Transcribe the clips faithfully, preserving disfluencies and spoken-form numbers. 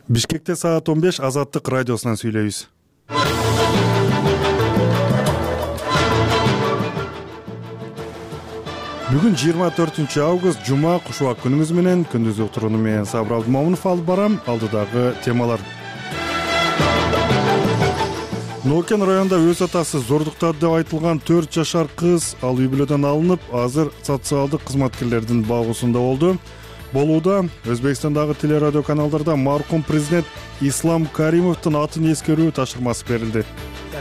Бишкекте саат он беш Азаттык радиосунан сүйлөйбүз. Бүгүн жыйырма төртүнчү август жума, кушубак күнүңүз менен. Күндүзү турууну менен Сабыр Абдымомунов алып барам. Алдыдагы темалар. Нокен районунда өз атасы зордуктады деп айтылган төрт жашар кыз ал үй бүлөдөн алынып, азыр социалдык кызматкерлердин багуусунда болду. Болууда Өзбекстандагы телерадио каналдарда маркум президент Ислам Каримовдун атын эскерүү тапшырмасы берилди.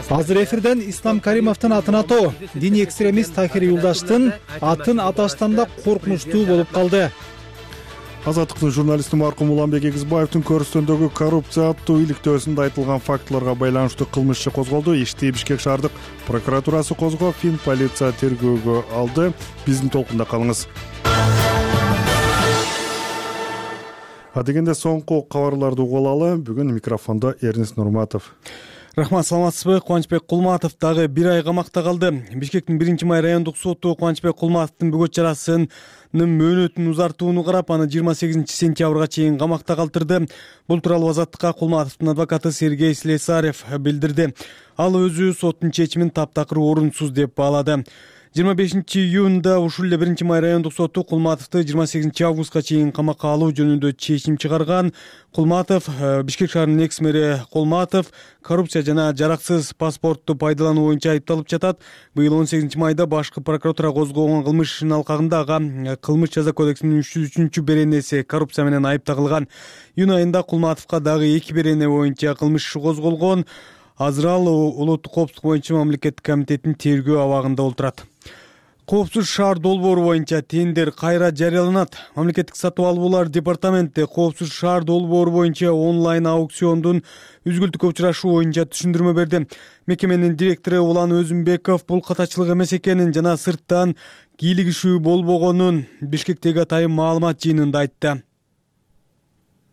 Азыр эфирден Ислам Каримовдун атын атоо диний экстремист Тахир Юлдаштын атын аташтан да коркунучтуу болуп калды. Азаттыктын журналисти маркум Уланбек Эгизбаевдин көрүстөндөгү коррупция аттуу иликтөөсүндө айтылган фактыларга байланыштуу кылмыш иши козголду. Ишти Бишкек шаардык прокуратурасы козгоп, Фин полиция тергөөгө алды. Биздин толкунда калыңыз. Адегенде соңку кабарларды угуп алалы. Бүгүн микрофондо Эрнис Нурматов. Рахмат, саламатсызбы? Кубанычбек Кулматов дагы бир ай камакта калды. Бишкектин биринчи май райондук соту Кубанычбек Кулматовдун бөгөт чарасынын мөөнөтүн узартууну карап, аны жыйырма сегизинчи сентябрга чейин камакта калтырды. Бул тууралуу Азаттыкка Кулматовдун адвокаты Сергей Слесарев билдирди. Ал өзү соттун чечимин таптакыр орунсуз деп баалады. жыйырма бешинчи июнда ушул эле биринчи май райондук соту Кулматовду жыйырма сегизинчи августка чейин камакка алуу жөнүндө чечим чыгарган. Кулматов, Бишкек шаарынын экс-мэри Кулматов коррупция жана жараксыз паспортту пайдалануу боюнча айыпталып жатат. Быйыл он сегизинчи майда башкы прокуратура козгогон кылмыш ишинин алкагында ага кылмыш жаза кодексинин үч жүз үчүнчү беренеси коррупция менен айып тагылган. Июнь айында Кулматовго дагы эки берене боюнча кылмыш иши козголгон. Азыр ал улуттук коопсуздук боюнча мамлекеттик комитеттин тергөө абагында отурат. Коопсуз шаар долбоору боюнча тендер кайра жарыяланат. Мамлекеттик сатып алуулар департаменти коопсуз шаар долбоору боюнча онлайн аукциондун үзгүлтүккө учурашуу боюнча түшүндүрмө берди. Мекеменин директору Улан Өзүмбеков бул катачылык эмес экенин жана сырттан кийлигишүү болбогонун Бишкектеги атайын маалымат жыйынында айтты.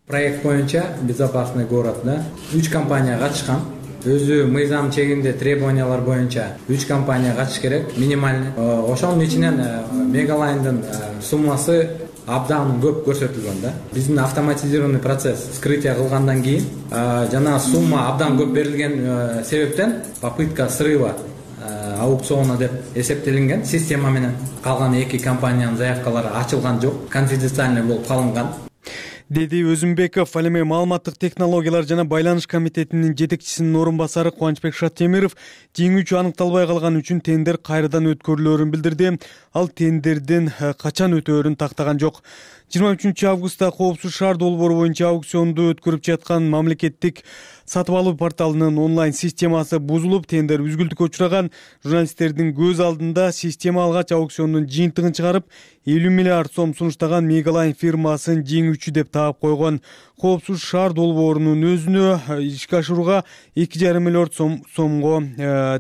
Проект боюнча безопасный городда үч компания катышкан. Өзү мыйзам чегинде требованиялар боюнча үч компания катыш керек, минимальный. Ошонун ичинен Мегалайндын суммасы абдан көп көрсөтүлгөн да. Биздин автоматизированный процесс вскрытие кылгандан кийин жана сумма абдан көп берилген себептен попытка срыва аукциона деп эсептелинген система менен. Калган эки компаниянын заявкалары ачылган жок, конфиденциальный болуп калынган, деди Өзүмбеков. Ал эми маалыматтык технологиялар жана байланыш комитетинин жетекчисинин орун басары Кубанычбек Шаттемиров жеңүүчү аныкталбай калган үчүн тендер кайрадан өткөрүлөөрүн билдирди. Ал тендердин качан өтөөрүн тактаган жок. жыйырма үчүнчү августта коопсуз шаар долбоору боюнча аукционду өткөрүп жаткан мамлекеттик сатып алуу порталынын онлайн системасы бузулуп, тендер үзгүлтүккө учураган. Журналисттердин көз алдында система алгач аукциондун жыйынтыгын чыгарып, элүү миллиард сом сунуштаган Мегалайн фирмасын жеңүүчү деп таап койгон. Коопсуз шаар долбоорунун өзүнө ишке ашырууга эки жарым миллиард сомго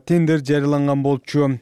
тендер жарыяланган болчу.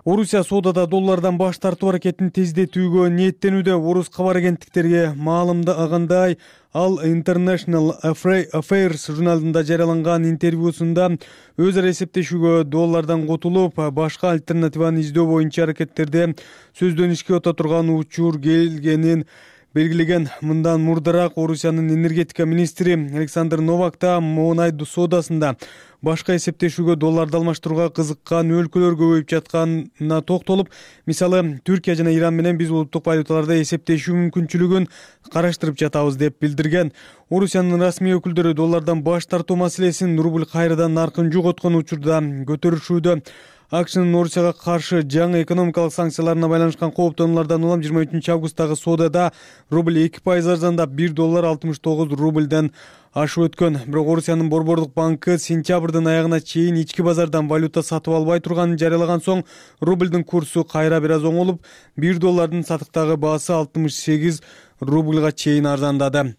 Орусия соодада доллардан баш тартуу аракетин тездетүүгө ниеттенүүдө. Орус кабар агенттиктерге маалымдагандай, ал International Affairs журналында жарыяланган интервьюсунда өз ара эсептешүүгө доллардан котулуп, башка альтернативаны издөө боюнча аракеттерде сөздөн ишке өтө турган учур келгенин белгилеген. Мындан мурдараак Орусиянын энергетика министри Александр Новак да Монай соодасында башка эсептешүүгө долларды алмаштырууга кызыккан өлкөлөр көбөйүп жатканына токтолуп, мисалы Түркия жана Иран менен биз улуттук валюталарда эсептешүү мүмкүнчүлүгүн караштырып жатабыз деп билдирген. Орусиянын расмий өкүлдөрү доллардан баш тартуу маселесин рубль кайрадан наркын жоготкон учурда көтөрүшүүдө. АКШнын Орусияга каршы жаңы экономикалык санкцияларына байланышкан кооптонуулардан улам жыйырма үчүнчү августтагы соодада рубль эки пайыз арзандап бир доллар алтымыш тогуз рубльден ашып өткөн. Бирок Орусиянын Борбордук банкы сентябрдын аягына чейин ички базардан валюта сатып албай турганын жарыялаган соң, рубльдин курсу кайра бир аз оңолуп, бир доллардын сатыктагы баасы алтымыш сегиз рубльга чейин арзандады.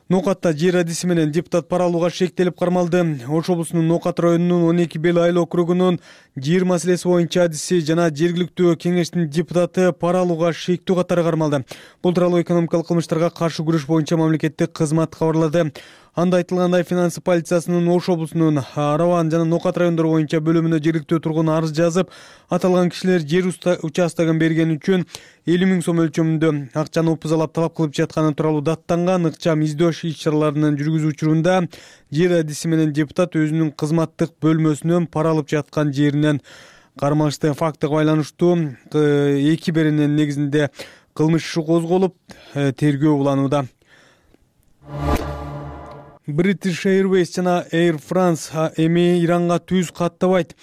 Ноокатта жер адиси менен депутат пара алууга шектелип кармалды. Ош облусунун Ноокат районунун он эки Бел айыл округунун жер маселеси боюнча адиси жана жергиликтүү кеңештин депутаты пара алууга шектүү катары кармалды. Бул тууралуу экономикалык кылмыштарга каршы күрөш боюнча мамлекеттик кызмат кабарлады. Анда айтылгандай, финансы полициясынын Ош облусунун Араван жана Ноокат райондору боюнча бөлүмүнө жергиликтүү тургун арыз жазып, аталган кишилер жер участогун берген үчүн элүү миң сом өлчөмүндө акчаны опузалап талап кылып жатканы тууралуу даттанган ыкчам издөөш иш-чараларынын жүргүзүү учурунда жер адиси менен депутат өзүнүн кызматтык бөлмөсүнөн пара алып жаткан жеринен кармалышты. Фактыга байланыштуу эки беренин негизинде кылмыш иши козголуп, тергөө уланууда. British Airways жана Air France эми Иранга түз каттабайт.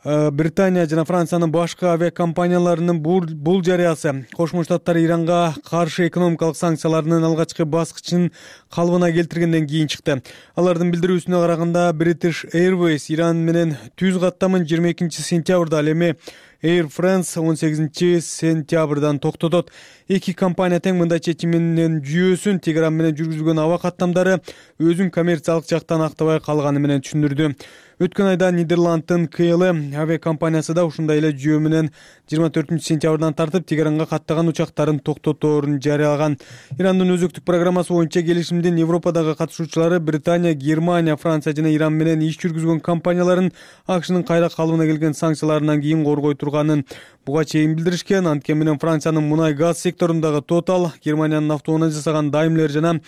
Британия жана Франциянын башка авиакомпанияларынын бул жарыясы Кошмо Штаттар Иранга каршы экономикалык санкцияларынын алгачкы баскычын калыбына келтиргенден кийин чыкты. Алардын билдирүүсүнө караганда, British Airways Иран менен түз каттамын жыйырма экинчи сентябрда, ал эми Air France он сегизинчи сентябрдан токтотот. Эки компания тең мындай чечиминин жүйөсүн Тегеран менен жүргүзүлгөн аба каттамдары өзүн коммерциялык жактан актабай калганы менен түшүндүрдү. Өткөн айда Нидерланддын К Л авиакомпаниясы да ушундай эле жүйө менен жыйырма төртүнчү сентябрдан тартып Тегеранга каттаган учактарын токтоторун жарыялаган. Ирандын өзөктүк программасы боюнча келишимдин Европадагы катышуучулары Британия, Германия, Франция жана Иран менен иш жүргүзгөн компанияларын АКШнын кайра калыбына келген санкцияларынан кийин коргой турганын буга чейин билдиришкен. Анткени менен Франциянын мунай газ секторундагы Total, Германиянын автоунаа жасаган Daimler жана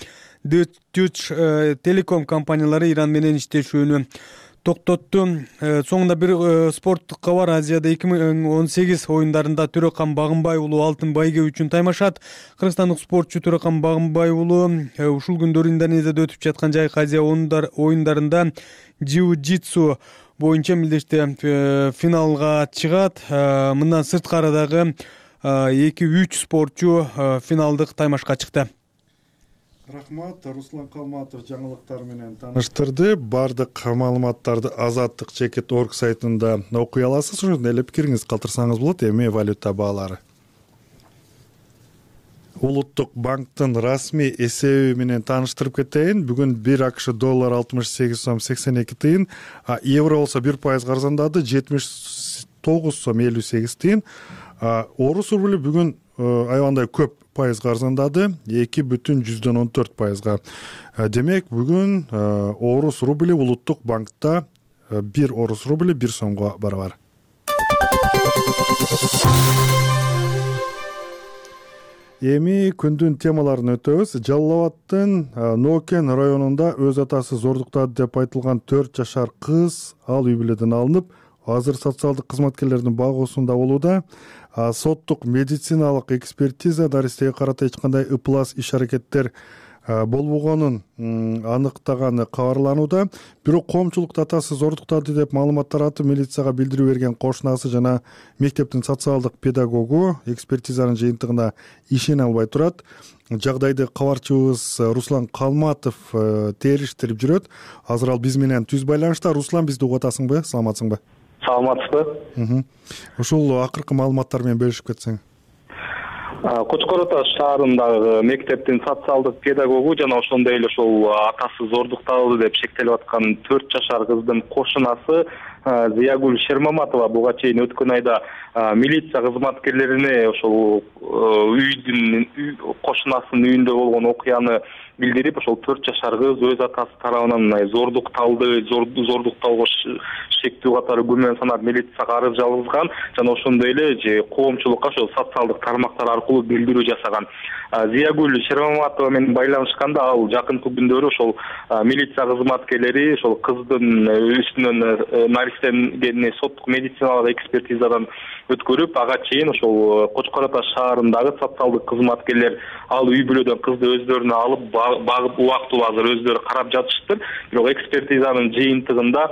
Deutsche Telekom компаниялары Иран менен иштешүүнү токтотту. Соңунда бир спорттук кабар. Азияда эки миң он сегиз оюндарында Төрөкан Багынбай уулу алтын байге үчүн таймашат. Кыргызстандык спортчу Төрөкан Багынбай уулу ушул күндөрү Индонезияда өтүп жаткан Жайкы Азия оюндарында джиу-джитсу боюнча милдеште финалга чыгат. Мындан сырткары дагы эки үч спортчу финалдык таймашка чыкты. Рахмат, Руслан Калматов жаңылыктар менен тааныштырды. Бардык маалыматтарды Азаттык чекит точка орг сайтында окуй аласыз. Ошондой эле пикириңиз калтырсаңыз болот. Эми валюта баалары. Улуттук банктын расмий эсеби менен тааныштырып кетейин. Бүгүн бир АКШ доллар алтымыш сегиз сом сексен эки тыйын, а евро болсо бир пайыз арзандады, жетимиш тогуз сом элүү сегиз тыйын. Орус рубли бүгүн аябандай көп пайызга арзандады, эки бүтүн жүздөн он төрт пайызга. Демек, бүгүн орус рубли улуттук банкта бир орус рубли бир сомго барабар. Эми күндүн темаларын өтөбүз. Жалал Абадтын Нокен районунда өз атасы зордуктады деп айтылган төрт жашар кыз ал үй бүлөдөн алынып, азыр социалдык кызматкерлердин багуусунда болууда. Соттук медициналык экспертиза наристеге карата эч кандай ыплас иш-аракеттер болбогонун аныктаганы кабарланууда. Бирок коомчулук атасы зордуктады деп маалымат таратып, милицияга билдирүү берген кошунасы жана мектептин социалдык педагогу экспертизанын жыйынтыгына ишене албай турат. Жагдайды кабарчыбыз Руслан Калматов териштирип жүрөт. Азыр ал биз менен түз байланышта. Руслан, бизди угуп атасыңбы? Саламатсыңбы? Саламатсызбы? Ушул акыркы маалыматтар менен бөлүшүп кетсең. Кочкор Ата шаарындагы мектептин социалдык педагогу жана ошондой эле ошол атасы зордукталды деп шектелип аткан төрт жашар кыздын кошунасы Зиягүл Шермаматова буга чейин өткөн айда милиция кызматкерлерине ошол үйдүн кошунасынын үйүндө болгон окуяны билдирип, ошол төрт жашар кыз өз атасы тарабынан зордукталды, зордуктоого шектүү катары күмөн санап милицияга арыз жазган жана ошондой эле коомчулукка ошол социалдык тармактар аркылуу билдирүү жасаган. Зиягүл Шермаматова менен байланышканда ал жакынкы күндөрү ошол милиция кызматкерлери ошол кыздын үстүнөн наристенгени соттук медициналык экспертизадан өткөрүп, ага чейин ошол Кочкор Ата шаарындагы социалдык кызматкерлер ал үй бүлөдөн кызды өздөрүнө алып багып убактылуу азыр өздөрү карап жатышыптыр. Бирок экспертизанын жыйынтыгында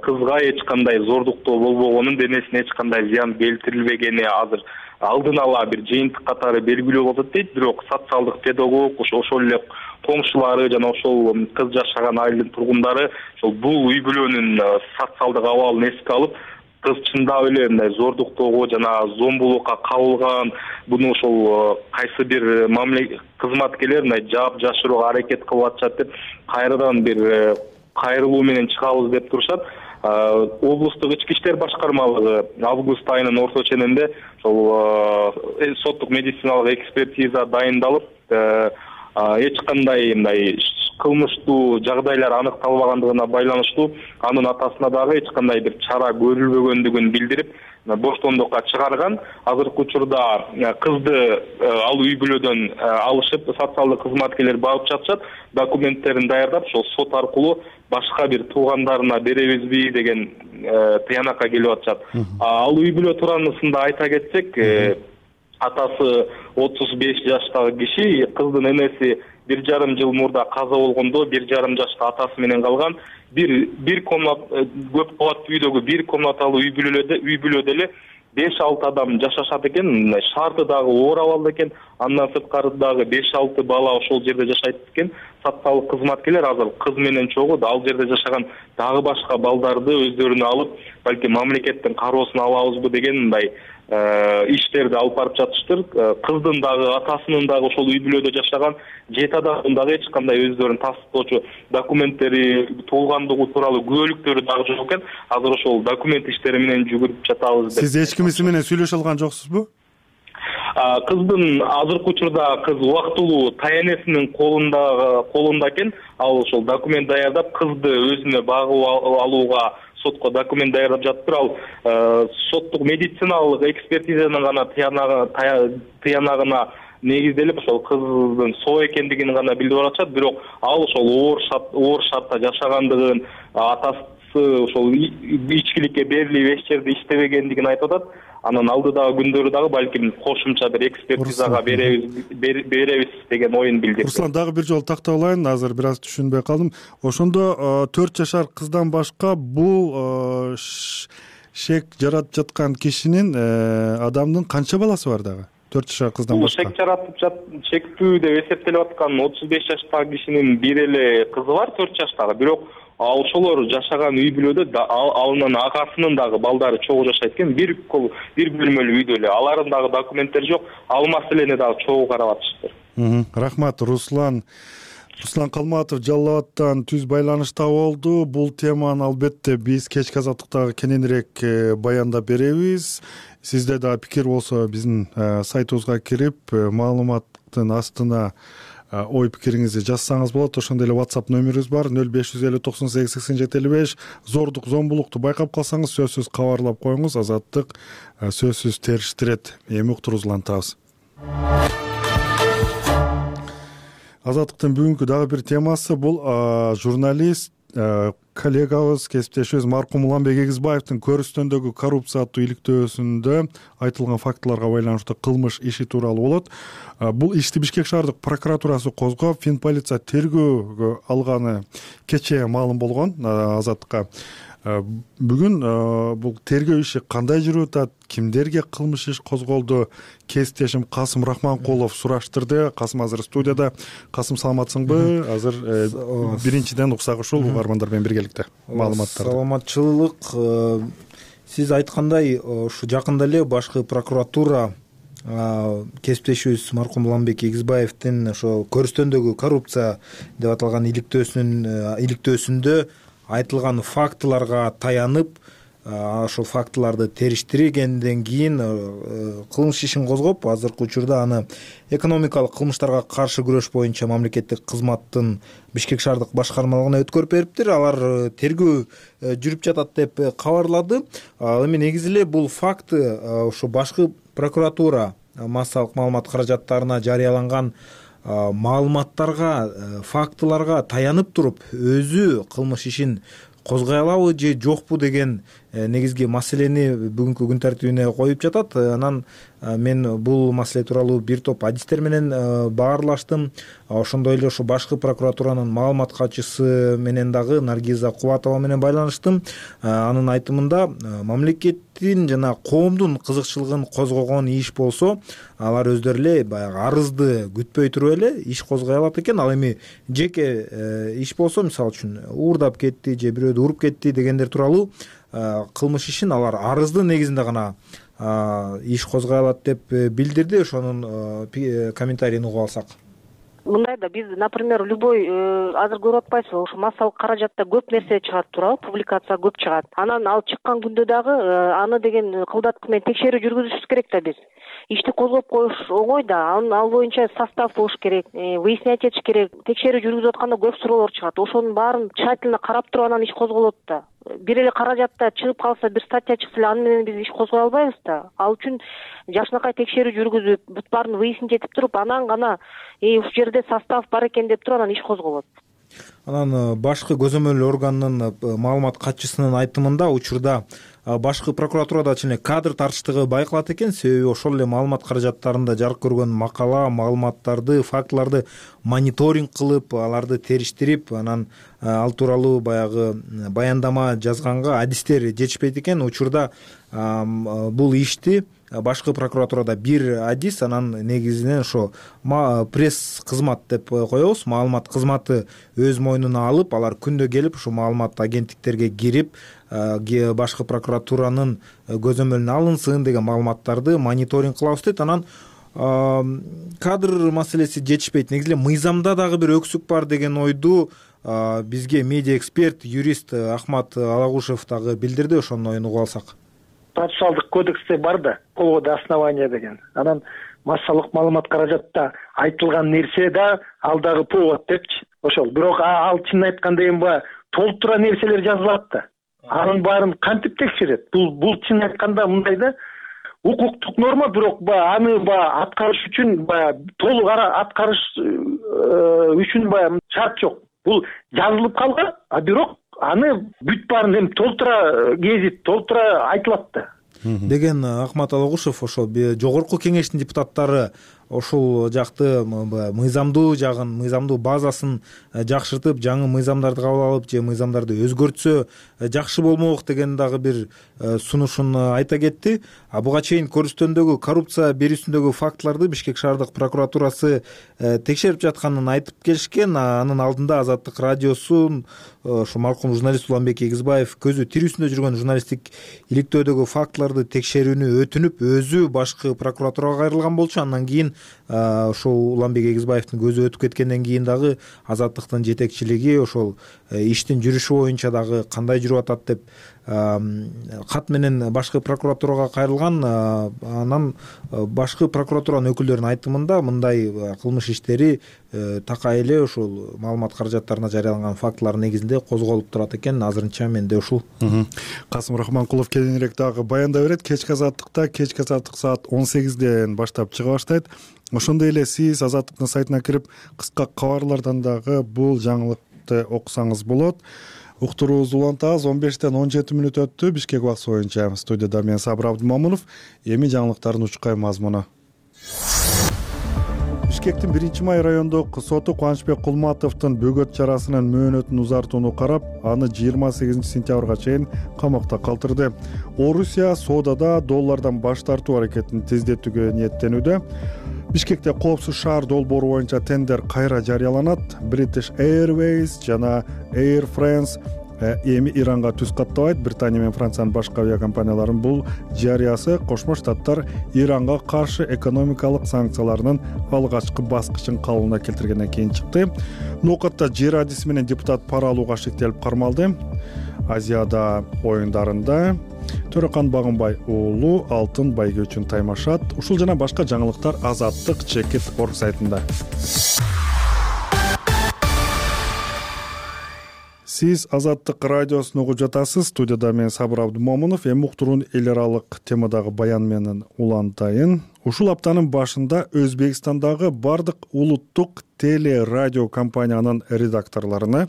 кызга эч кандай зордуктоо болбогонун, денесине эч кандай зыян келтирилбегени азыр алдын ала бир жыйынтык катары белгилүү болот дейт. Бирок социалдык педагог ошол эле коңшулары жана ошол кыз жашаган айылдын тургундары ошол бул үй бүлөнүн социалдык абалын эске алып, кыз чындап эле мындай зордуктоого жана зомбулукка кабылган, буну ошол кайсы бир мамлекет кызматкерлер мындай жаап жашырууга аракет кылып атышат деп кайрадан бир кайрылуу менен чыгабыз деп турушат. Облустук ички иштер башкармалыгы август айынын орто ченинде ошол соттук медициналык экспертиза дайындалып, эч кандай мындай кылмыштуу жагдайлар аныкталбагандыгына байланыштуу анын атасына дагы эч кандай бир чара көрүлбөгөндүгүн билдирип боштондукка чыгарган. Азыркы учурда кызды ал үй бүлөдөн алышып, социалдык кызматкерлер багып жатышат. Документтерин даярдап, ошол сот аркылуу башка бир туугандарына беребизби деген тыянакка келип атышат. Ал үй бүлө туурасында айта кетсек, атасы отуз беш жаштагы киши, кыздын энеси бир жарым жыл мурда каза болгондо бир жарым жашта атасы менен калган. Бир бир комнат көп кабаттуу үйдөгү бир комнаталуу үй бүлөдө үй бүлөдө эле беш алты адам жашашат экен. Шарты дагы оор абалда экен. Андан сырткары дагы беш алты бала ошол жерде жашайт экен. Социалдык кызматкерлер азыр кыз менен чогуу ал жерде жашаган дагы башка балдарды өздөрүнө алып, балки мамлекеттин кароосуна алабызбы деген мындай иштерди алып барып жатыштыр. Кыздын дагы атасынын дагы ошол үй бүлөдө жашаган жети адамдын дагы эч кандай өздөрүн тастыктоочу документтери, туулгандыгы тууралуу күбөлүктөрү дагы жок экен. Азыр ошол документ иштери менен жүгүрүп жатабыз деп. Сиз эч кимиси менен сүйлөшө алган жоксузбу? Кыздын азыркы учурда кыз убактылуу таянесинин колунда колунда экен. Ал ошол документ даярдап, кызды өзүнө багып алууга сотко документ даярдап жатыптыр. Ал соттук медициналык экспертизанын гана тыянагына негизделип, ошол кыздын соо экендигин гана билдирип атышат. Бирок ал ошол оор оор шартта жашагандыгын, атасы ошол ичкиликке берилип эч жерде иштебегендигин айтып атат. Анан алдыдагы күндөрү дагы балким кошумча бир экспертизага беребиз беребиз деген оюн билдирди. Руслан, дагы бир жолу такталайын, азыр бир аз түшүнбөй калдым. Ошондо төрт жашар кыздан башка бул шек жаратып жаткан кишинин адамдын канча баласы бар дагы? төрт жашар кыздан башка. Шек жаратып жат, шектүү деп эсептелип аткан отуз беш жаштагы кишинин бир эле кызы бар, төрт жаштагы. Бирок ал ошолор жашаган үй бүлөдө анын агасынын дагы балдары чогуу жашайт экен. Бир бир бөлмөлүү үйдө эле. Алардын дагы документтери жок. Ал маселени дагы чогуу карап атышты. Рахмат, Руслан. Руслан Калматов Жалал Абадтан түз байланышта болду. Бул теманы албетте биз кечки азаттыктагы кененирээк баяндап беребиз. Сизде да пикир болсо биздин сайтыбызга кирип, маалыматтын астына ой пикириңизди жазсаңыз болот. Ошондой эле WhatsApp номерибиз бар нөл беш жүз элүү токсон сегиз сексен жети элүү беш. Зордук, зомбулукту байкап калсаңыз сөзсүз кабарлап коюңуз. Азаттык сөзсүз териштирет. Эми уктуруубузду улантабыз. Азаттыктын бүгүнкү дагы бир темасы бул журналист коллегабыз, кесиптешибиз маркум Уланбек Эгизбаевдин көрүстөндөгү коррупциялуу иликтөөсүндө айтылган фактыларга байланыштуу кылмыш иши тууралуу болот. Бул ишти Бишкек шаардык прокуратурасы козгоп, Финполиция тергөөгө алганы кечээ маалым болгон Азаттыкка. Бүгүн бул тергөө иши кандай жүрүп атат, кимдерге кылмыш иш козголду, кесиптешим Касым Рахманкулов сураштырды. Касым азыр студияда. Касым, саламатсыңбы? Азыр биринчиден уксак ушул угармандар менен биргеликте маалыматтарды. Саламатчылык. Сиз айткандай, ушу жакында эле башкы прокуратура кесиптешибиз маркум Уланбек Эгизбаевдин ошо көрүстөндөгү коррупция деп аталган иликтөөсүнүн иликтөөсүндө айтылган фактыларга таянып, ошол фактыларды териштиргенден кийин кылмыш ишин козгоп, азыркы учурда аны экономикалык кылмыштарга каршы күрөш боюнча мамлекеттик кызматтын Бишкек шаардык башкармалыгына өткөрүп бериптир. Алар тергөө жүрүп жатат деп кабарлады. Эми негизи эле бул факты ошо башкы прокуратура массалык маалымат каражаттарына жарыяланган маалыматтарга, фактыларга таянып туруп өзү кылмыш ишин козгой алабы же жокпу деген негизги маселени бүгүнкү күн тартибине коюп жатат. Анан мен бул маселе тууралуу бир топ адистер менен баарлаштым. Ошондой эле ошо башкы прокуратуранын маалымат катчысы менен дагы Наргиза Кубатова менен байланыштым. Анын айтымында мамлекеттин жана коомдун кызыкчылыгын козгогон иш болсо, алар өздөрү эле баягы арызды күтпөй туруп эле иш козгой алат экен. Ал эми жеке иш болсо, мисалы үчүн уурдап кетти же бирөөдү уруп кетти дегендер тууралуу кылмыш ишин алар арыздын негизинде гана иш козгой алат деп билдирди. Ошонун комментарийин угуп алсак. Мындай да, биз, например, любой азыр көрүп атпайсызбы, ошо массалык каражатта көп нерсе чыгат туурабы, публикация көп чыгат. Анан ал чыккан күндө дагы аны деген кылдаткы менен текшерүү жүргүзүшүбүз керек да биз. Ишти козгоп коюш оңой да, анын ал боюнча состав болуш керек, выяснять этиш керек. Текшерүү жүргүзүп атканда көп суроолор чыгат. Ошонун баарын тщательно карап туруп анан иш козголот да. Бир эле каражатта чыгып калса, бир статья чыкса эле аны менен биз иш козгой албайбыз да. Ал үчүн жакшынакай текшерүү жүргүзүп, бут баарын выяснить этип туруп, анан гана ушул жерде состав бар экен деп туруп анан иш козголот. Анан башкы көзөмөл органынын маалымат катчысынын айтымында учурда башкы прокуратурада эле кадр тартыштыгы байкалат экен. Себеби ошол эле маалымат каражаттарында жарык көргөн макала, маалыматтарды, фактыларды мониторинг кылып, аларды териштирип, анан ал тууралуу баягы баяндама жазганга адистер жетишпейт экен. Учурда бул ишти башкы прокуратурада бир адис, анан негизинен ошо пресс кызмат деп коебуз, маалымат кызматы өз мойнуна алып, алар күндө келип ошо маалымат агенттиктерге кирип, башкы прокуратуранын көзөмөлүнө алынсын деген маалыматтарды мониторинг кылабыз дейт. Анан кадр маселеси жетишпейт. Негизи эле мыйзамда дагы бир өксүк бар деген ойду бизге медиа эксперт, юрист Ахмат Алагушев дагы билдирди. Ошонун оюн угуп алсак. Процессуалдык кодексте бар да, колго основание деген. Анан массалык маалымат каражатта айтылган нерсе да ал дагы повод депчи. Ошол. Бирок ал чынын айтканда эми баягы толтура нерселер жазылат да. Анын баарын кантип текшерет? Бул бул чынын айтканда мындай да, укуктук норма, бирок баягы аны баягы аткарыш үчүн баягы толук аткарыш үчүн баягы шарт жок. Бул жазылып калган, а бирок аны бүт баарын эми толтура кезип, толтура айтылат да деген Ахмат Алагушев. Ошол жогорку кеңештин депутаттары ошол жакты мыйзамдуу жагын, мыйзамдуу базасын жакшыртып, жаңы мыйзамдарды кабыл алып же мыйзамдарды өзгөртсө жакшы болмок деген дагы бир сунушун айта кетти. А буга чейин көрүстөндөгү коррупция берүүсүндөгү фактыларды Бишкек шаардык прокуратурасы текшерип жатканын айтып келишкен. Анын алдында Азаттык радиосун ошо маркум журналист Уланбек Эгизбаев көзү тирүүсүндө жүргөн журналисттик иликтөөдөгү фактыларды текшерүүнү өтүнүп, өзү башкы прокуратурага кайрылган болчу. Андан кийин ошол Уланбек Эгизбаевдин көзү өтүп кеткенден кийин дагы Азаттыктын жетекчилиги ошол иштин жүрүшү боюнча дагы кандай жүрүп атат деп кат менен башкы прокуратурага кайрылган. Анан башкы прокуратуранын өкүлдөрүнүн айтымында мындай кылмыш иштери такай эле ушул маалымат каражаттарына жарыяланган фактылар негизинде козголуп турат экен. Азырынча менде ушул. Касым Рахманкулов кийинирээк дагы баяндай берет. Кечки Азаттыкта кечки Азаттык саат он сегизден баштап чыга баштайт. Ошондой эле сиз Азаттыктын сайтына кирип кыска кабарлардан дагы бул жаңылыкты окусаңыз болот. Уктуруубузду улантабыз. он бештен он жети мүнөт өттү Бишкек убакыты боюнча. Студияда мен Сабыр Абдымомунов. Эми жаңылыктардын учкай мазмуну. Бишкектин биринчи май райондук соту Кубанычбек Кулматовдун бөгөт чарасынын мөөнөтүн узартууну карап, аны жыйырма сегизинчи сентябрга чейин камакта калтырды. Орусия соодада доллардан баш тартуу аракетин тездетүүгө ниеттенүүдө. Бишкекте коопсуз шаар долбоору боюнча тендер кайра жарыяланат. British Airways жана Air France эми Иранга түз каттабайт. Британия менен Франциянын башка авиакомпанияларынын бул жарыясы Кошмо Штаттар Иранга каршы экономикалык санкцияларынын алгачкы баскычын калыбына келтиргенден кийин чыкты. Нокатта жер адиси менен депутат пара алууга шектелип кармалды. Азияда оюндарында Төрөкан Багынбай уулу алтын байгө үчүн таймашат. Ушул жана башка жаңылыктар Азаттык чекит орг сайтында. Сиз Азаттык радиосун угуп жатасыз. Студияда мен Сабыр Абдымомунов. Эми уктуруун эл аралык темадагы баян менен улантайын. Ушул аптанын башында Өзбекстандагы бардык улуттук теле радио компаниянын редакторлоруна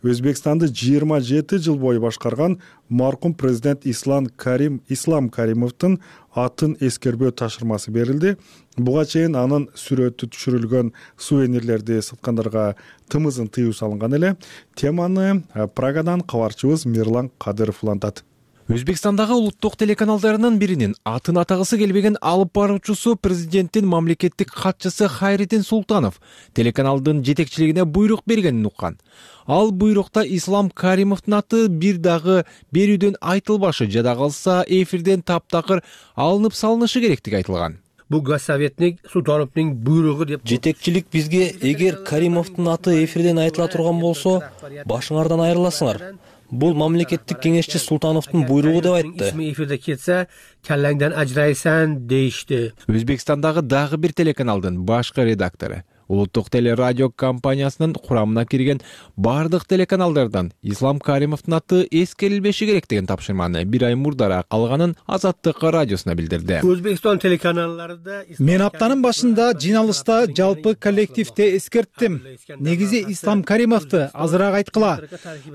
Өзбекстанды жыйырма жети жыл бою башкарган маркум президент Ислам Карим Ислам Каримовдун атын эскербөө тапшырмасы берилди. Буга чейин анын сүрөтү түшүрүлгөн сувенирлерди саткандарга тымызын тыюу салынган эле. Теманы Прагадан кабарчыбыз Мирлан Кадыров улантат. Өзбекстандагы улуттук телеканалдарынын биринин атын атагысы келбеген алып баруучусу президенттин мамлекеттик катчысы Хайриддин Султанов телеканалдын жетекчилигине буйрук бергенин уккан. Ал буйрукта Ислам Каримовдун аты бир дагы берүүдөн айтылбашы, жада калса эфирден таптакыр алынып салынышы керектиги айтылган. Бул Госсоветник Султановдун буйругу деп. Жетекчилик бизге эгер Каримовдун аты эфирден айтыла турган болсо, башыңардан айрыласыңар. Бул мамлекеттик кеңешчи Султановдун буйругу деп айтты. Исми эфирде кетсе, келлеңден ажырайсаң дейишти. Өзбекстандагы дагы бир телеканалдын башкы редактору улуттук телерадио компаниясынын курамына кирген бардык телеканалдардан Ислам Каримовдун аты эскерилбеши керек деген тапшырманы бир ай мурдараак алганын Азаттык радиосуна билдирди. Өзбекстан телеканалдарында мен аптанын башында жиналышта жалпы коллективде эскерттим. Негизи Ислам Каримовду азыраак айткыла.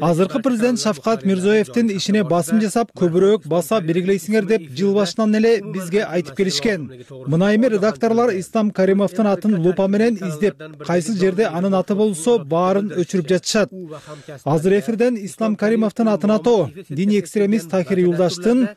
Азыркы президент Шавкат Мирзиёевдин ишине басым жасап, көбүрөөк баса белгилейсиңер деп жыл башынан эле бизге айтып келишкен. Мына эми редакторлор Ислам Каримовдун атын лупа менен издеп, кайсы жерде анын аты болсо баарын өчүрүп жатышат. Азыр эфирден Ислам Каримовдун атын атоо диний экстремист Тахир Юлдаштын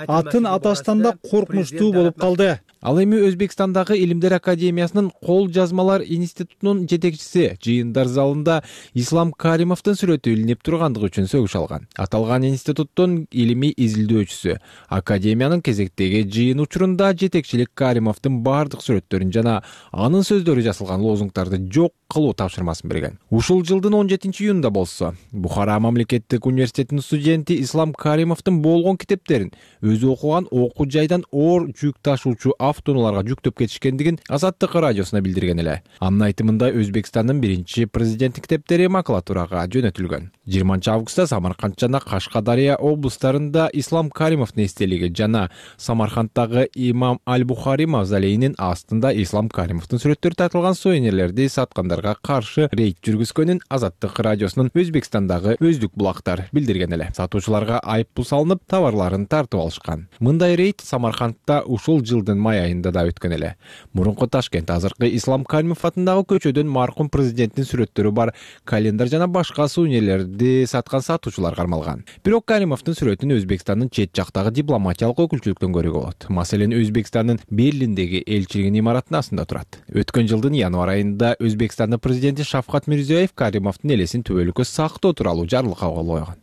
атын аташтан да коркунучтуу болуп калды. Ал эми Өзбекстандагы Илимдер академиясынын кол жазмалар институтунун жетекчиси жыйындар залында Ислам Каримовдун сүрөтү илинип тургандыгы үчүн сөгүш алган. Аталган институттун илимий изилдөөчүсү академиянын кезектеги жыйын учурунда жетекчилик Каримовдун бардык сүрөттөрүн жана анын сөздөрү жазылган лозунгдарды жок кылуу тапшырмасын берген. Ушул жылдын он жетинчи июнунда болсо, Бухара мамлекеттик университетинин студенти Ислам Каримовдун болгон китептерин өзү окуган окуу жайдан оор жүк ташуучу автоунааларга жүктөп кетишкендигин Азаттык радиосуна билдирген эле. Анын айтымында Өзбекстандын биринчи президенттик китептери макулатурага жөнөтүлгөн. жыйырманчы августта Самарканд жана Кашкадария облустарында Ислам Каримовдун эстелиги жана Самарканддагы Имам Аль-Бухари мавзолейинин астында Ислам Каримовдун сүрөттөрү тартылган сувенирлерди саткандарга каршы рейд жүргүзгөнүн Азаттык радиосунун Өзбекстандагы өздүк булактар билдирген эле. Сатуучуларга айып пул салынып, товарларын тартып алышкан. Мындай рейд Самаркандда ушул жылдын май айында да өткөн эле. Мурунку Ташкент азыркы Ислам Каримов атындагы көчөдөн маркум президенттин сүрөттөрү бар календар жана башка сувенирлерди саткан сатуучулар кармалган. Бирок Каримовдун сүрөтүн Өзбекстандын чет жактагы дипломатиялык өкүлчүлүктөн көрүүгө болот. Маселен, Өзбекстандын Берлиндеги элчилигинин имаратынын астында турат. Өткөн жылдын январь айында Өзбекстандын президенти Шавкат Мирзиёев Каримовдун элесин түбөлүккө сактоо тууралуу жарлык кабыл койгон.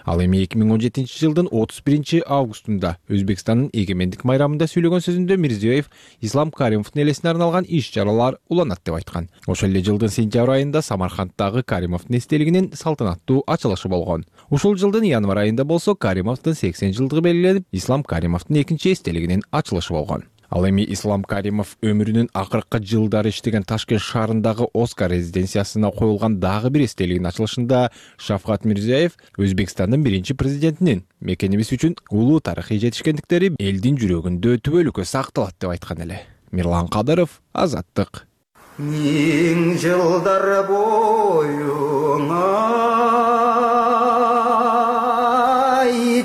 Ал эми эки миң он жетинчи жылдын отуз биринчи августунда Өзбекстандын эгемендик майрамында сүйлөгөн сөзүндө Мирзиёев Ислам Каримовдун элесине арналган иш-чаралар уланат деп айткан. Ошол эле жылдын сентябрь айында Самарканддагы Каримовдун эстелигинин салтанаттуу ачылышы болгон. Ушул жылдын январь айында болсо Каримовдун сексен жылдыгы белгиленип, Ислам Каримовдун экинчи эстелигинин ачылышы болгон. Ал эми Ислам Каримов өмүрүнүн акыркы жылдары иштеген Ташкент шаарындагы Оскар резиденциясына коюлган дагы бир эстелигинин ачылышында Шавкат Мирзиёев Өзбекстандын биринчи президентинин мекенибиз үчүн улуу тарыхый жетишкендиктери элдин жүрөгүндө түбөлүккө сакталат деп айткан эле. Мирлан Кадыров, Азаттык. Миң жылдар боюңа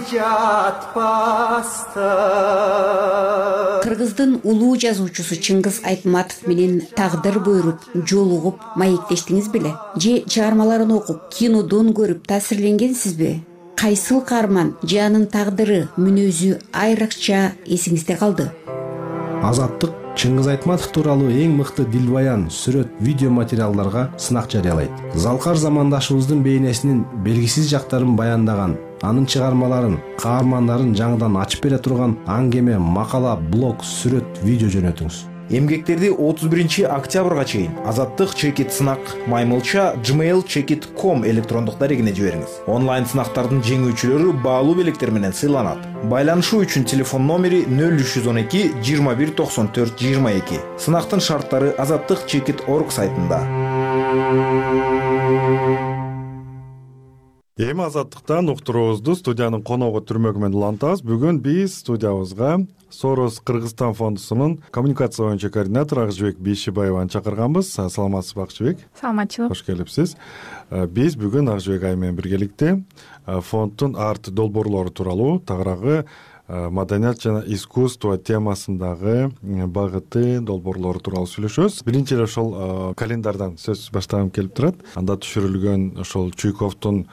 жатпаста. Кыргыздын улуу жазуучусу Чыңгыз Айтматов менен тагдыр буйруп, жолугуп, маектештиңиз беле? Же чыгармаларын окуп, кинодон көрүп таасирленгенсизби? Кайсыл каарман же анын тагдыры, мүнөзү айрыкча эсиңизде калды? Азаттык Чыңгыз Айтматов тууралуу эң мыкты дилбаян, сүрөт, видео материалдарга сынак жарыялайт. Залкар замандашыбыздын бейнесинин белгисиз жактарын баяндаган, анын чыгармаларын, каармандарын жаңыдан ачып бере турган аңгеме, макала, блог, сүрөт, видео жөнөтүңүз. Эмгектерди отуз биринчи октябрга чейин Азаттык чекит сынак маймылча gmail chekit точка com электрондук дарегине жибериңиз. Онлайн сынактардын жеңүүчүлөрү баалуу белектер менен сыйланат. Байланышуу үчүн телефон номери нөл үч жүз он эки жыйырма бир токсон төрт жыйырма эки. Сынактын шарттары азаттык чекит точка орг сайтында. Эми Азаттыктан уктуруубузду студиянын коногу Түрмөгү менен улантабыз. Бүгүн биз студиябызга Сорос Кыргызстан фондусунун коммуникация боюнча координатору Акжыбек Бейшибаеваны чакырганбыз. Саламатсызбы, Акжыбек? Саламатчылык. Кош келипсиз. Биз бүгүн Акжыбек айым менен биргеликте фонддун арт долбоорлору тууралуу, тагыраагы маданият жана искусство темасындагы багыты, долбоорлору тууралуу сүйлөшөбүз. Биринчи эле ошол календардан сөз баштагым келип турат. Анда түшүрүлгөн ошол Чуйковдун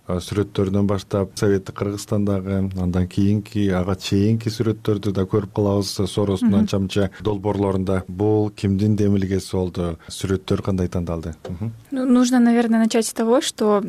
сүрөттөрдөн баштап советтик Кыргызстандагы, андан кийинки ага чейинки сүрөттөрдү да көрүп калабыз Соростун анча мынча долбоорлорунда. Бул кимдин демилгеси болду? Сүрөттөр кандай тандалды? Ну, нужно, наверное, начать с того, что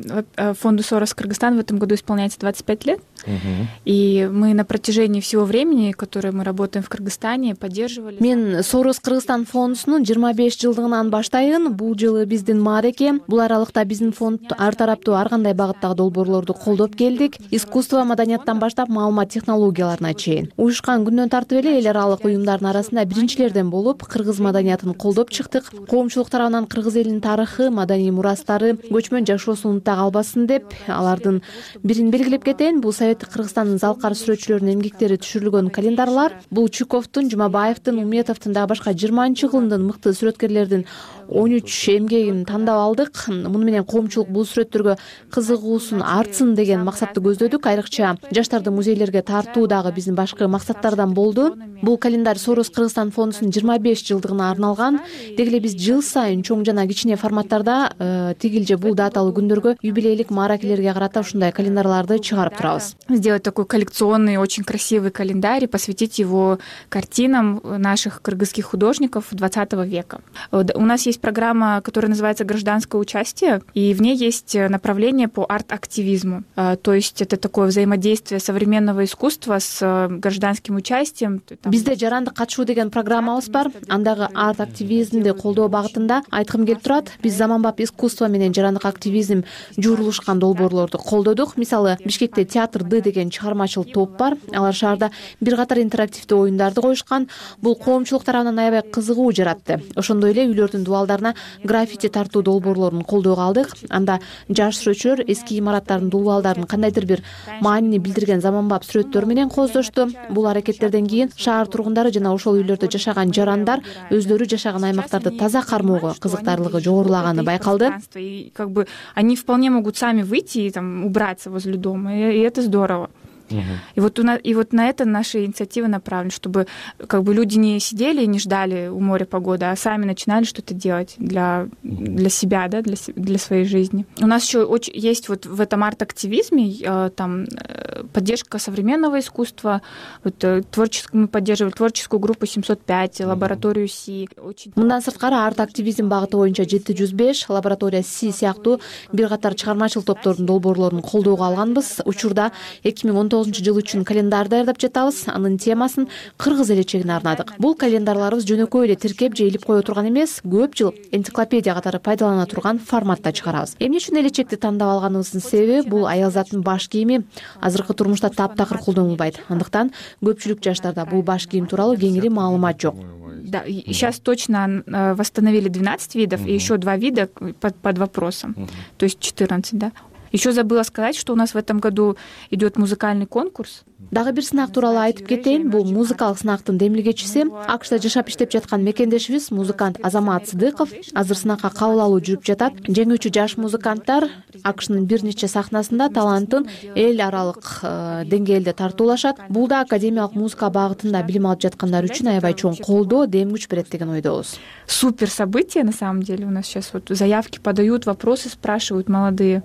фонду Сорос Кыргызстан в этом году исполняется двадцать пять лет. Uh-huh. И мы на протяжении всего времени, которое мы работаем в Кыргызстане, поддерживали... Мен Сорос Кыргызстан фондусунун жыйырма беш жылдыгынан баштайын. Бул жылы биздин маареке. Бул аралыкта биздин фонд ар тараптуу ар кандай багыттагы долбоорлорду колдоп келдик. Искусство, маданияттан баштап маалымат технологияларына чейин. Уюшкан күндөн тартып эле эл аралык уюмдардын арасында биринчилерден болуп, кыргыз маданиятын колдоп чыктык. Коомчулук тарабынан кыргыз элинин тарыхы, маданий мурастары, көчмөн жашоосу унута калбасын деп, алардын бирин белгилеп кетейин. Бул Кыргызстандын залкар сүрөтчүлөрүнүн эмгектери түшүрүлгөн календарлар. Бул Чуковдун, Жумабаевдин, Умметовдун дагы башка жыйырманчы кылымдын мыкты сүрөткерлердин он үч эмгегин тандап алдык. Муну менен коомчулук бул сүрөттөргө кызыгуусун артсын деген максатты көздөдүк. Айрыкча жаштарды музейлерге тартуу дагы биздин башкы максаттардан болду. Бул календарь Сорос Кыргызстан фондусунун жыйырма беш жылдыгына арналган. Деги эле биз жыл сайын чоң жана кичине форматтарда тигил же бул даталуу күндөргө юбилейлик мааракелерге карата ушундай календарларды чыгарып турабыз. Сделать такой коллекционный, очень красивый календарь и посвятить его картинам наших кыргызских художников двадцатого века. У нас есть программа, которая называется «Гражданское участие», и в ней есть направление по арт-активизму. То есть это такое взаимодействие современного искусства с гражданским участием. Бизде жарандык катышуу деген программабыз бар. Андагы арт-активизмди колдоо багытында айткым келип турат. Биз заманбап искусство менен жарандык активизм жуурулушкан долбоорлорду колдодук. Мисалы, Бишкекте театр Д деген чыгармачыл топ бар. Алар шаарда бир катар интерактивдүү оюндарды коюшкан. Бул коомчулук тарабынан аябай кызыгуу жаратты. Ошондой эле үйлөрдүн дубалдарына граффити тартуу долбоорлорун колдоого алдык. Анда жаш сүрөтчүлөр эски имараттардын дубалдарын кандайдыр бир маанини билдирген заманбап сүрөттөр менен кооздошту. Бул аракеттерден кийин шаар тургундары жана ошол үйлөрдө жашаган жарандар өздөрү жашаган аймактарды таза кармоого кызыктарлыгы жогорулаганы байкалды. И как бы они вполне могут сами выйти и там убраться возле дома, и это здорово. Uh-huh. И вот у нас, и вот на это наши инициативы направлены, чтобы как бы люди не сидели и не ждали у моря погоды, а сами начинали что-то делать для для себя, да, для для своей жизни. У нас еще очень есть вот в этом арт-активизме э, там э, поддержка современного искусства, вот э, творческую мы поддерживали творческую группу семьсот пять, лабораторию Си. Мындан сырткары арт-активизм багыты боюнча жети жүз беш, лаборатория Си сыяктуу бир катар чыгармачыл топтордун долбоорлорун колдоого алганбыз. Учурда эки миң он тогузунчу жыл үчүн календарь даярдап жатабыз. Анын темасын кыргыз элечегине арнадык. Бул календарларыбыз жөнөкөй эле тиркеп же илип кое турган эмес, көп жыл энциклопедия катары пайдалана турган форматта чыгарабыз. Эмне үчүн элечекти тандап алганыбыздын себеби бул аял заттын баш кийими азыркы турмушта таптакыр колдонулбайт. Андыктан көпчүлүк жаштарда бул баш кийим тууралуу кеңири маалымат жок. Да, сейчас точно восстановили двенадцать видов, и еще два вида под, под вопросом, то есть четырнадцать, да. Еще забыла сказать, что у нас в этом году идет музыкальный конкурс. Дагы бир сынак тууралуу айтып кетейин. Бул музыкалык сынактын демилгечиси АКШта жашап иштеп жаткан мекендешибиз музыкант Азамат Сыдыков. Азыр сынакка кабыл алуу жүрүп жатат. Жеңүүчү жаш музыканттар АКШнын бир нече сахнасында талантын эл аралык деңгээлде тартуулашат. Бул да академиялык музыка багытында билим алып жаткандар үчүн аябай чоң колдоо, дем күч берет деген ойдобуз. Супер событие на самом деле. У нас сейчас вот заявки подают, вопросы спрашивают молодые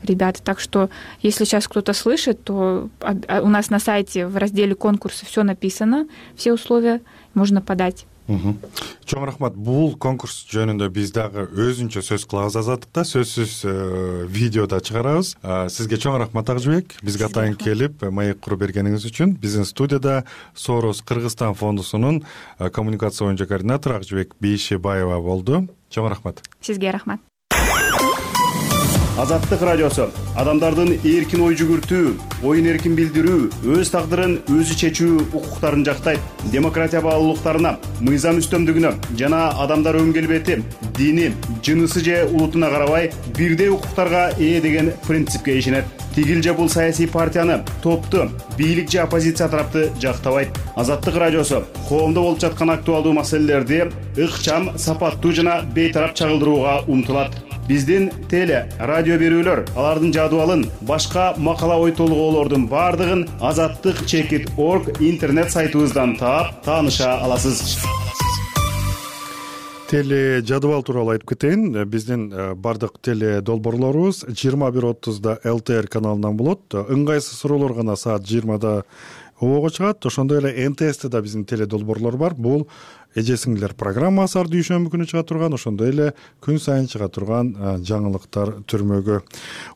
ребята. Так что, если сейчас кто-то слышит, то у нас на сайте в разделе конкурсы все написано, все условия можно подать. Чоң рахмат. Бул конкурс жөнүндө биз дагы өзүнчө сөз кылабыз Азаттыкта, сөзсүз видеода чыгарабыз. Сизге чоң рахмат Акжыбек, бизге атайын келип маек куруп бергениңиз үчүн. Биздин студияда Сорос Кыргызстан фондусунун коммуникация боюнча координатору Акжыбек Бейшебаева болду. Чоң рахмат. Сизге рахмат. Азаттык радиосу адамдардын эркин ой жүгүртүү, оюн эркин билдирүү, өз тагдырын өзү чечүү укуктарын жактайт. Демократия баалуулуктарына, мыйзам үстөмдүгүнө жана адамдар өн келбети, дини, жынысы же улутуна карабай бирдей укуктарга ээ деген принципке ишенет. Тигил же бул саясий партияны, топту, бийлик же оппозиция тарапты жактабайт. Азаттык радиосу коомдо болуп жаткан актуалдуу маселелерди ыкчам, сапаттуу жана бейтарап чагылдырууга умтулат. Биздин теле, радио берүүлөр, алардын жадыбалын, башка макала ой толгоолордун бардыгын азаттык чекит точка орг интернет сайтыбыздан таап, тааныша аласыз. теле жадыбал тууралуу айтып кетейин. Биздин бардык теле долбоорлорубуз жыйырма бир отузда эл тэ эр каналынан болот. Ыңгайсыз суроолор гана саат жыйырмада обого чыгат. Ошондой эле эн тэ эсте да биздин теле долбоорлор бар. Бул эже сиңдилер программасы ар дүйшөмбү күнү чыга турган, ошондой эле күн сайын чыга турган жаңылыктар түрмөгү.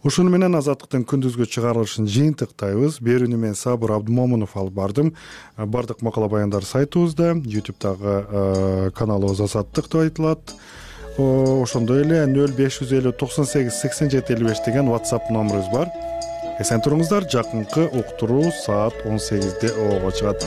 Ушуну менен Азаттыктын күндүзгү чыгарылышын жыйынтыктайбыз. Берүүнү мен Сабыр Абдымомунов алып бардым. Бардык макала баяндар сайтыбызда, ютубтагы каналыбыз Азаттык деп айтылат. Ошондой эле нөл беш жүз элүү токсон сегиз сексен жети элүү беш деген WhatsApp номерибиз бар. Эсен туруңуздар. Жакынкы уктуруу саат он сегизде обого чыгат.